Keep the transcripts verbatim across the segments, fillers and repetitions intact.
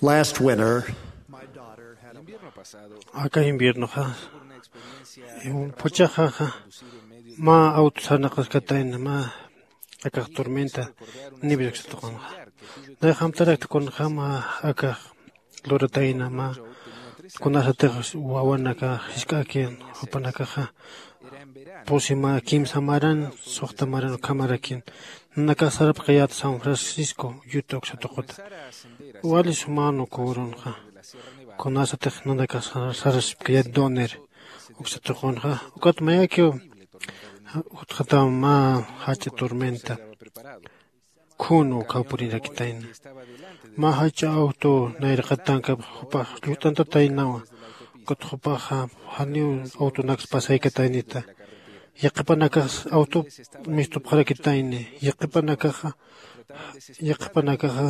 Last winter, aka inviernoxa, phuchhaxaxa mä auto sarnaqaskatayna, mä akax tormenta, nieve uksatuqunxa. Nayxamtarakta kunjäma akax luratayna, mä kunasatix wawanakax jisk'akin jupanakaxa, pusi mä kimsa maran, suxta maran ukhamarakin. Nanakax sarapxayät San Francisco, Utah uksatuquta. Wali sumän uka urunxa. Kunasatix nanakax sar-, sarasipkayät Donner uksatuqunxa. Ukat mayakiw utjataw mä jach'a tormenta. Khunu ukaw purirakitayna. Mä jach'a auto nayraqatankap jupax llucht'antataynawa. Ukat jupaxa janiw autonaks pasaykataynita. Yaqhipanakax auto mistupxarakitayni. Yaqhipanakaxa, yaqhipanakaxa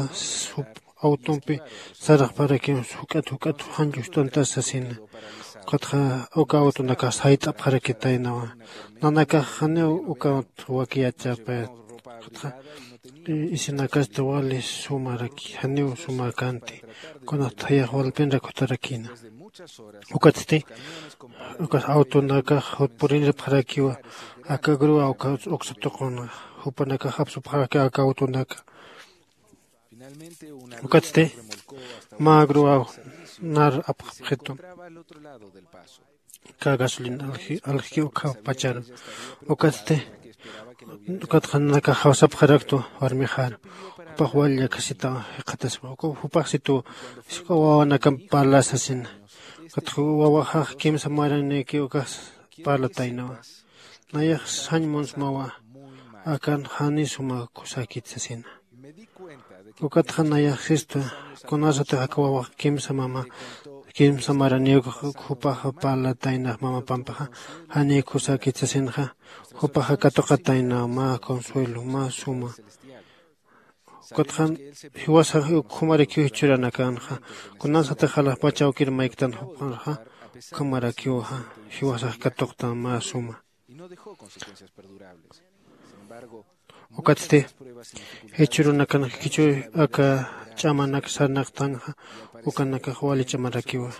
jup autompi saraqparakiw juk'at juk'at jan llucht'antas sasina. Ukatxa uka autonakax sayt'apxarakitaynawa. Nanakax janiw ukat wakiyachapayat. Ukatxa isinakasti wali sumaraki, janiw sumakanti. Kunat jayax walpinrak jutarakina. Ukatsti, ukas autonakax jut purinirpxarakiwa, aka grúa uka uksa tuqunxa, jupanakax apsupxaraki aka autonaka. Ukatsti, mä grúa nar apxapxitu. Kä gasolina alji-, aljki ukha pacharu. Ukatsti, ukatxa nanakax jawsapxaraktu warmixar. Jupax wali llakisita jikxataspa. Uka jupax situ, jisk'a wawanakamp parla sasina. Ukatxa wawaxax kimsa maranïki ukax parlataynawa. Nayax sañ munsmawa, akan jani suma kusakit sasina. Ukatxa nayax sistu, kunasatix aka wawax kimsa mama, kimsa maraniw jupaxa parlatayna mama pampaxa, jani kusakit sasinxa, jupaxa katuqatayna mä consuelo, mä suma. Ukatxa jiwasax uk jumarakiw jichhüranakanxa, kunasatix alaxpach awkir mayktan jupxarxa, ukhamarakiwxa, jiwasax katuqtan mä suma. Ukatsti, jichhürunakanxa jichhür aka ch'amanak sarnaqtanxa, ukanakax wali ch'amarakiwa.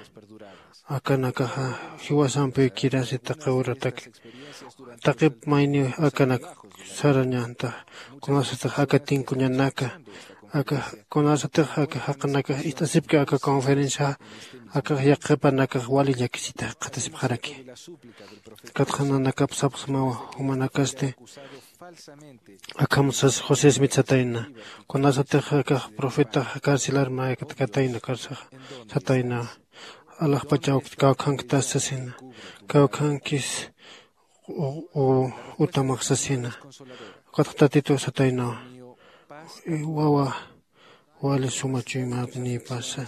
Akanakaxa jiwasampiw kirasi taqi uratak. Taqip mayniw akanak sarañantax, kunasatix aka tinkuñanaka, aka, kunasatix aka jaqinakax ist'asipki aka conferencia, akax yaqhipanakax wali llakisita jikxatasipxaraki. Ukatxa nanakap sapxsmawa, jumanakasti akham sas José Smith satayna. Kunasatix akax profetax carcelar maykatkatayna carcelax satayna. Alaxpach awk kawkhanktas sasina. Kawkhankis u, u, utamax sasina. Ukatxa Tatitu satayna. Wawa, wali suma chuymat nïpasa.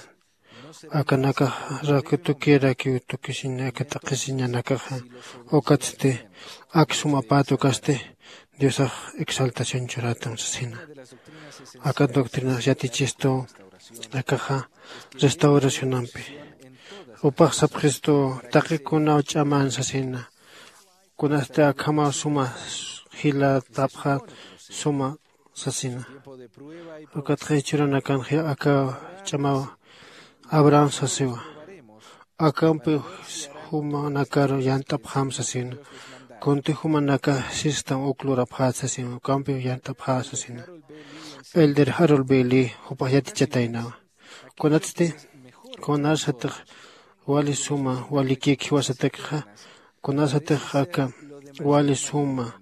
Akanakax raku tukirakiw tukisiña, aka taqisiñanakaxa, ukatsti ak sumapät ukasti Diosax exaltación churatam sasina. Aka doctrinax yatichistu, akaxa restauracionampi. Jupax sapxistu, taqi kunaw ch'aman sasina. Kunasti akhamaw suma jilatapxät suma sasina. Ukatxa jichhürunakanxa aka ch'amaw Abraham sasiwa. Akampiw jumanakaru yant'apxam sasina. Kunti jumanakax sistam uk lurapxät sasina. Akampiw yant'apxä sasina. Elder Harold Bailey jupax yatichataynawa. Kunatsti, kunasatix wali suma, walikïk jiwasatakxa, kunasatix aka wali suma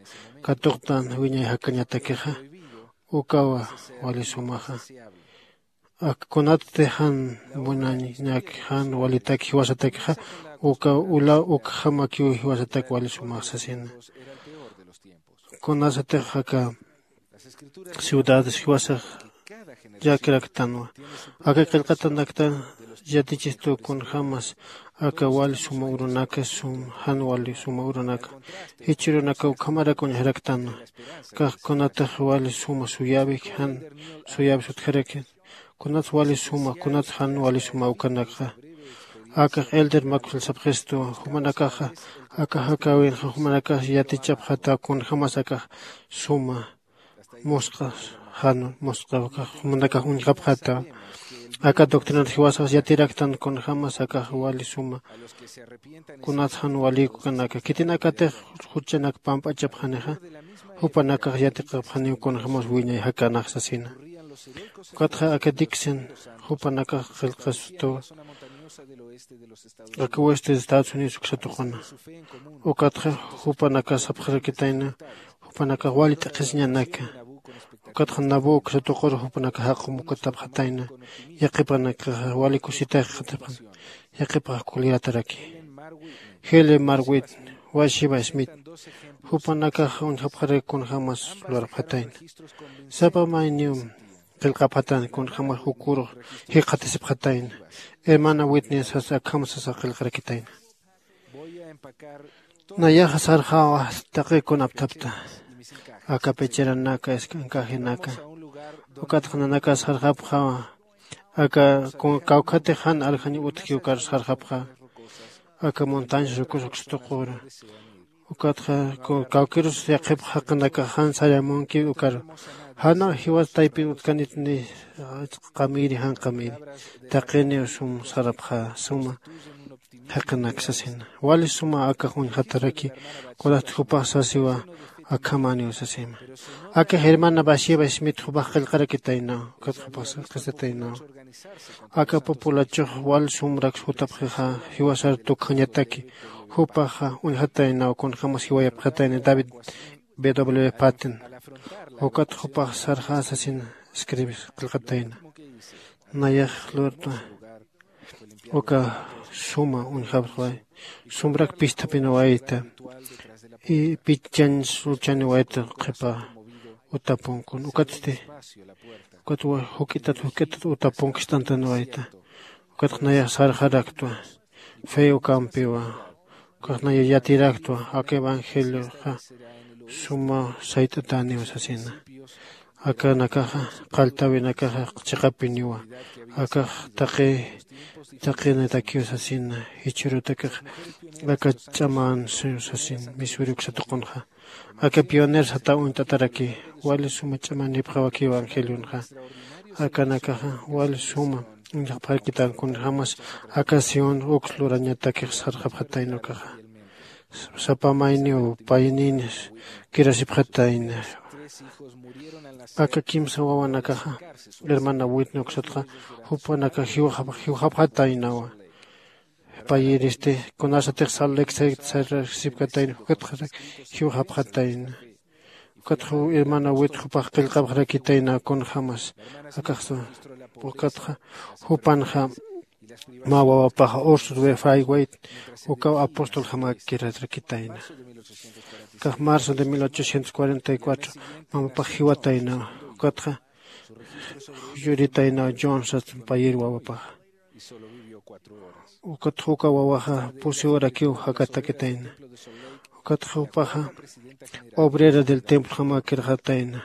katuqtan wiñay jakañatakixa, ukawa wali sumaxa. Ak kunatsti jan munañak, jan walitak jiwasatakixa, uka ulaw ukjamakiw jiwasatak wali sumax sasina. Kunasatix aka ciudades jiwasax llakiraktanwa. Aka qillqatanaktan yatichistu kunjämas aka wali suma urunaka, sum, jan wali suma urunaka. Jichhürunaka ukhamarak uñjaraktanwa. Kax kunatix wali suma suyäwik, jan suyäwis utjaraki. Kunats wali suma, kunats jan wali suma ukanakxa. Akax Elder Maxwell sapxistu, jumanakaxa, aka jakäwinxa, jumanakax yatichapxata, kunjämas akax suma musq'a, jan musq'a, jumanakax uñjapxata. Aka doctrinat jiwasax yatiraktan kunjämas akax wali suma kunats jan walïkukanaka khitinakatix juchanak pamp'achapxanixa, jupanakax yatiqapxaniw kunjämas wiñay jakanax sasina. Ukatxa aka dixon jupanakax qillqastuwa aka weste de Estados Unidos uksa tuquna. Ukatxa jupanakas sapxarakitayna jupanakax wali t'aqhisiñanaka. Ukatxa nabu uksa tuqur jupanakax jaqum ukatapxatayna yaqipanakaxa wali kusitax qatapxan. Yaqipax kulyataraki. Helen marwit, washiva smith, jupanakax uñjapxarak kunjämas lurapxatayna. Sapa mayniw qillqapxatayna kunjämas jukur jikxatasipxatayna. Hermana witness sas akham sasa qillqarakitayna. Nayaxa sarxawa taqi kunapthapta aka pecheranaka eskankajinaka. Ukatxa nanakas sarxapxawa aka kawkhatix jan aljañ utji ukar sarxapxa aka montañas rukus uksa tuqura. Ukatxa kawkirus yaqhipx jaqinakax jan sayamunki ukar jana jiwas taypin utkanit ni qamiri jan qamiri taqiniw sum sarapxa suma jaqinaksa sina wali suma akax uñjataraki. Kunasti jupax sasiwa akhamaniw sasima. Akax hermana basieva smith jupax qillqarakitaynaw. Ukat jupax qisataynaw aka populachux wal sumrak jutapxixa jiwasar tukjañataki. Jupaxa uñjataynaw kunjämas jiwayapxatayna david bw paten. Ukat jupax sarxäsasin escribis qillqatayna. Nayax lurtwa uka suma uñjapxway sumrak pisthapinawayta. Pichañ suchaniwayta qhipa utapunkun ukatsti ukat juk'itat juk'itat utapunkist'antanawayta. Ukatx nayax sarxaraktwa fe ukampiwa. Ukatx nayax yatiraktwa aka evangelioxa suma sayt'atäniw sasina. Akanakaxa qalltäwinakaxa chiqapiniwa. Akax taqi taqinatakiw sasina jichhürutakix aka ch'amän siw sasin misuri uksa tuqunxa. Aka pioner sataw uñt'ataraki wali suma ch'amanipxawaki evangelionxa. Akanakaxa wali suma uñjapxarakitän kunjämas aka sión uks lurañatakix sarxapxatayna ukaxa. Sapa mayniw paynin kirasipxatayna. Aka kimsa wawanakaxa hermana witni uksatxa jupanakax jiwxapxataynawa. Payiristi kunasatix sal lek saykta sarasipkatayna jukatxarak jiwxapxatayna. Ukatxa hermana wit jupax qillqapxarakitayna kunjämas akaxsa ukatxa jupanxa mä wawapaxa ursus wefaywayt ukaw apostoljamakkirarakitayna. Kax marzo de mil ochocientos cuarenta y cuatro mamapax jiwatayna. Ukatxa yuritayna john sastan payir wawapaxa. Ukatxa uka wawaxa pusi horakiw jakatakitayna. Ukatxa jupaxa obrera del templo jamakirxatayna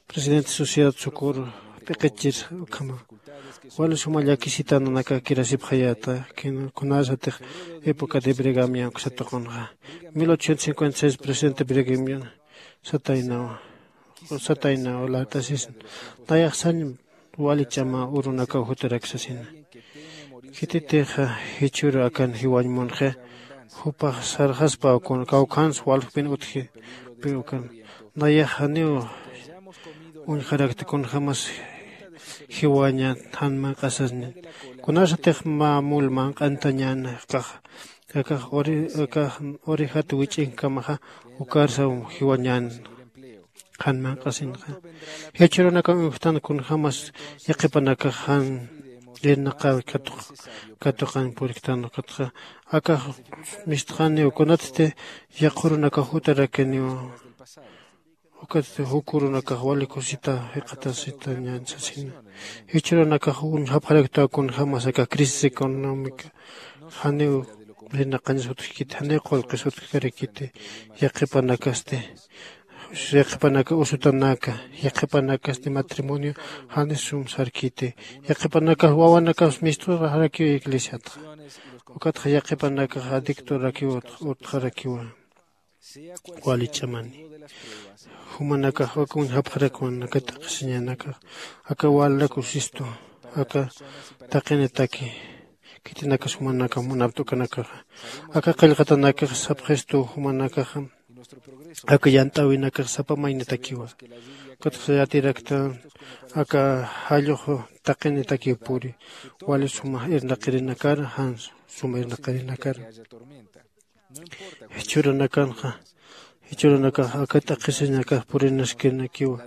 presidente sociedad socorro p'iqichir ukhama. Wali suma llakisita nanaka kirasipxayäta. Kunasatix época de bregamian uksatuqunxa mil ochocientos cincuenta y seis presidente bregamian sataynawa. Sataynawa lart'asisna nayaxsañ wali ch'ama urunakaw jutarak sasina. Khititixa jichhüru akan jiwañ munxi jupax sarxaspa kawkhans walxpin utji. Pi ukan nayax janiw uñjarakta kunjämas jiwaña jan manq'asasnin. Kunasatix mä mul manq'antañän akax akax orejat wich'inkamaxa ukarsaw jiwañän. Jan manq'asinxa jichhürunakaw uñjtan kunjämas yaqhipanakax jan irnaqaw katuqañ puriktan ukatxa akax mistxaniw kunatsti yaqhürunakax jutarakiniw. Ukatsti jukürunakax wali kusita jiqatasitañän sasina. Jichhürunakax uñjapxaraktaw kunjämas aka crisis económica janiw irnaqañas utjkiti janiw qullqis utjkarakiti. Yaqhipanakasti yaqhipanaka usutanaka yaqhipanakasti matrimonio jani sum sarkiti. Yaqhipanakax wawanakax misturaxarakiw iglesiatxa ukatxa yaqhipanakax adictorakiw utxarakiwa. Wali ch'amani jumanakax aka uñjapxarakwan aka t'aqhisiñanakax aka walnak usistu aka taqinitaki khitinakas jumanaka munapt'ukanakaxa. Aka qillqatanakax sapxistu jumanakaxa aka yant'äwinakax sapa maynitakiwa. Ukatxa yatiraktan aka jallux taqinitakiw puri wali suma irnaqirinakar jan suma irnaqirinakar. Jichhüranakanxa jichhüranakax aka t'aqhisiñakax purinaskirinakiwa.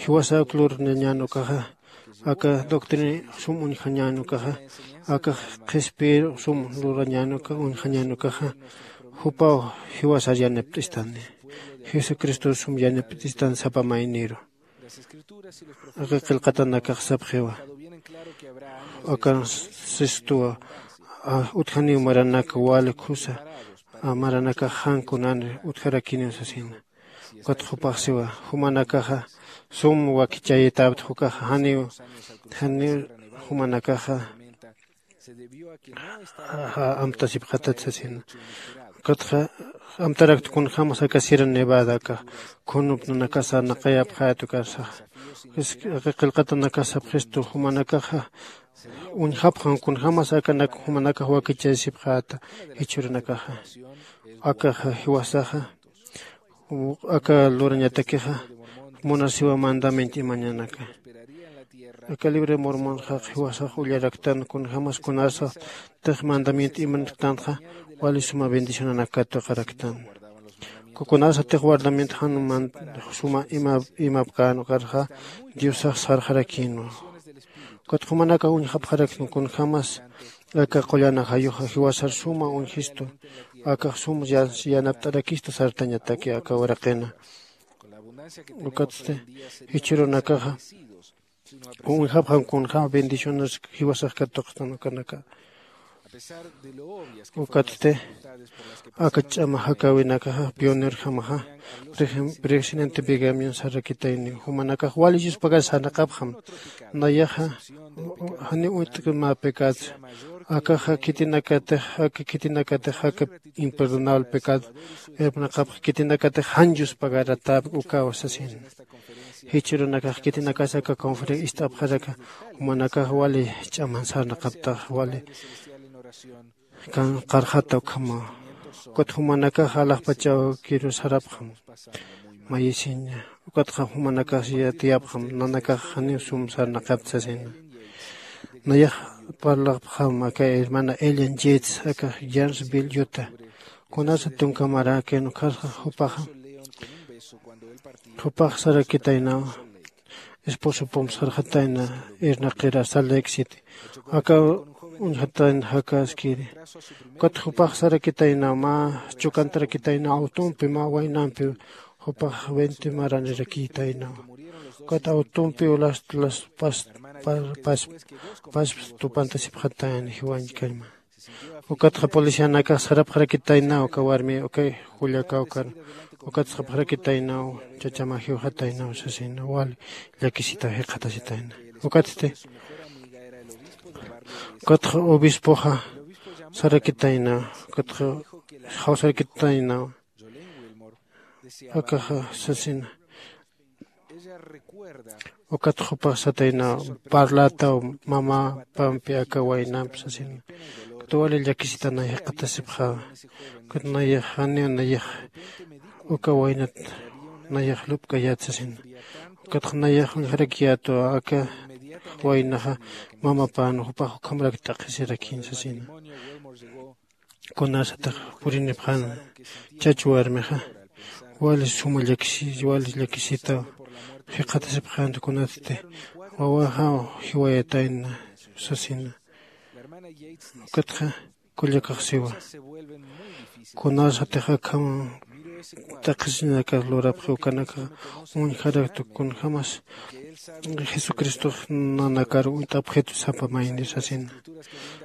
Jiwasa uk lurnañän ukaxa aka doctrina sum uñjañän ukaxa aka qhispiyir sum lurañän uka uñjañän ukaxa jupaw jiwasar yanipt'istani. Jesucristo sum yanipt'istan sapa mayniru. Aka qillqatanakax sapxiwa akan sistuwa utjaniw maranak wali khusa maranakax jan kunanri utjarakiniw sasina. Ukat jupax siwa jumanakaxa sum wakichayitapta jukaxa janiw janiw jumanakaxa amtasipxatat sasina. Ukatxa amtarakt kunjämas aka sierra nevada aka khunupnanakas sarnaqayapxäta ukarsaxa. Aka qillqatanakas sapxistu jumanakaxa uñjapxam kunjämas akanak jumanakax wakichasipxäta jichhüranakaxa. Akaxa jiwasaxa aka lurañatakixa munasiwa mandamiento imañanaka. Aka libre mormonxa jiwasax ullaraktan kunjämas kunasatix mandamiento imanaktanxa wali suma bendicionanakat tuqaraktan. Kunasatix guardamiento jan suma imapkän ukarxa diosax sarxarakïnwa. Ukat jumanakax uñjapxaraktan kunjämas aka qullan ajayuxa jiwasar suma uñjistu akax sum yanapt'arakistu sartañataki aka uraqina. Ukatsti jichhürunakaxa uñjapxam kunjäm bendiciones jiwasax katuqstan ukanaka. Ukatsti aka ch'ama jakäwinakaxa pionerjamaxa presidente bigamion sarrakitayni jumanakax wali yuspagar sarnaqapxam. Nayaxa janiw uyt'kma pecado akaxa khitinakatix aka khitinakatix aka imperdonable pecado irpnaqapxa khitinakatix jan yuspagaratap ukaw sasina. Jichhürunakax khitinakas aka conferencia ist'apxaraka jumanakax wali ch'aman sarnaqaptax wali qarxata ukhamaw. Ukat jumanakax alaxpachaw kiru sarapxam mayisiña. Ukatxa jumanakax yatiyapxam nanakax janiw sum sarnaqapta sasina. Nayax parlapxam aka hermana elian yates aka jansville yuta. Kunasa tunka maräkïn ukharxa jupaxa jupax sarakitaynaw esposo pump sarxatayna irnaqira salt lake city aka uñjatayna jakäskiri. Ukat jupax sarakitaynaw mä chukantarakitaynaw awtumpi mä waynampi jupax veinte maranirakïtaynaw. Ukat awtumpiw last las pas pas pas tupantasipxatayna jiwañkallma. Ukatxa policianakax sarapxarakitaynaw uka warmi ukay jullakawkar. Ukatxa sapxarakitaynaw chachama jiwxataynaw sasina wali llakisita jikxatasitayna. Ukatsti ukatxa obispoxa sarakitaynaw ukatxa jawsarakitaynaw. Akaxa sasina ukat jupax satayna parlataw mamapampi aka waynamp sasina. Ukat wali llakisitanay jikxatasipxawa. Ukat nayax janiw nayax uka waynat nayax lupk'ayät sasina. Ukatxa nayax uñjarakiyätwa aka waynaxa mamapän jupax ukhamarak t'aqhisirakïn sasina. Kunasatix purinipxäna chach warmixa wali suma llakisi wali llakisita jikxatasipxänta kunatsti wawaxaw jiwayatayna sasina. Ukatxa kullakax siwa kunasatix akham t'aqhisiñakas lurapxi ukanakax uñjaraktu kunjämas jesucristox nanakar uñt'apxitu sapa mayni sasina.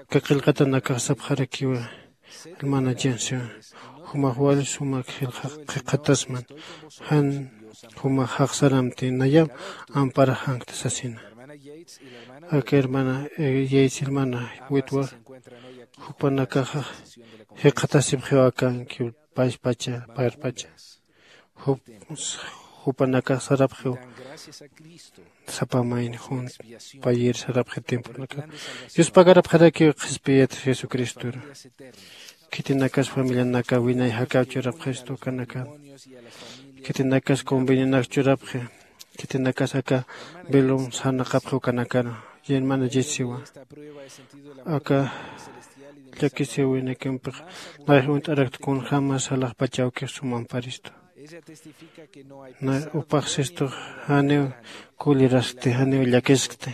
Aka qillqatanakax sapxarakiwa hermana jensiwa jumax wali sumak jilqatasman jan jumax jaqsaramti nayam amparaxankta sasina. Aka hermana yates hermana witwa jupanakaxa jikxatasipxiw akankiw payspacha parpacha. Jupanakax sarapxiw Sapa mayni junt payir sarapxi tiemponaka. Dios pagarapxarakiw qhispiyat jesucristora. Khitinakas familianaka winay jakaw churapxistu kanakan. Khitinakas convenionak churapxi. Khitinakas aka velum sarnaqapxi ukanakana. Yermana jessiwa, aka llakisiwinakimpiq nayax uñt'arakta kunjämas alaxpachawkix sumamparistu. Nay upaxsistux janiw kuliraskti janiw llakiskti.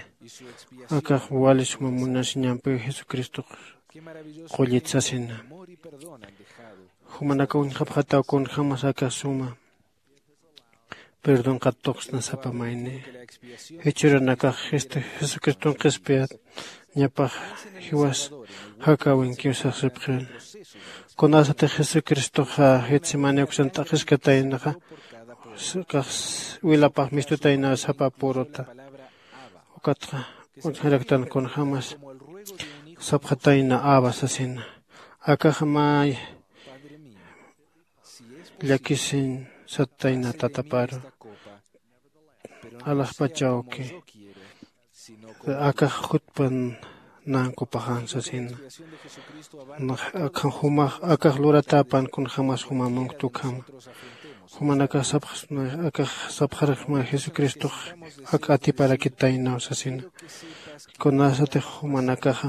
Akax wali suma munasiñampiw jesucristox qullit sasina. Jumanakaw uñjapxataw kunjämas aka suma perdonqat tuqsna sapa mayni. Jichhürunakax jesucriston qhispiyat ñapax jiwas jakäwinkiw sasipxin. Kunasatix jesucristoxa getsemani uksan t'aqhiskataynaxa, kax wilapax mistutaynaw sapa puruta. Ukatxa uñjaraktan kunjämas sapxatayna aba sasina. Akaxa may llakisiñ sattayna tataparu alaxpachawki. Akax jutpan nankupaxan sasina. Akax jumax akax luratäpan kunjämas juma munktukhama. Jumanakax sapxasma akax sapxarakma jesucristox ak atiparakitaynaw sasina. Kunasatix jumanakaxa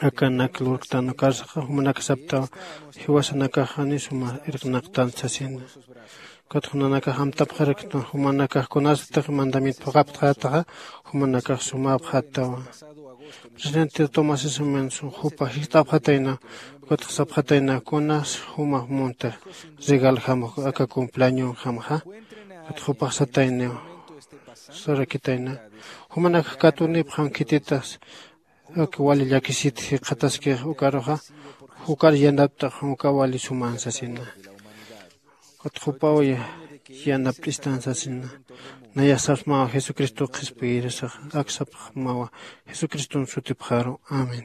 akanak lurktan ukarsaxa jumanak saptaw jiwasanakax jani suma irqnaqtan sasina. Ukat jumanakax amtapxaraktan jumanakax kunasatix mandamiento phuqhaptxätaxa jumanakax sumäpxätawa. Presidente tomás sisimin jupa jist'apxatayna. Ukatxa sapxatayna kunas juma munta regaljam aka cumpleañonjamxa. Ukatxa jupax satayniw sarakitayna. Jumanakax katunipxam khititas aka wali llakisit jikxataskix ukaruxa. Ukar yanapt'ax uka wali suman sasina. Ukat jupaw yanapt'istan sasina. Nayax sapxmawa jesucristo qhispiyirisaxa ak sapxmawa jesucriston sutipxaru. Amén.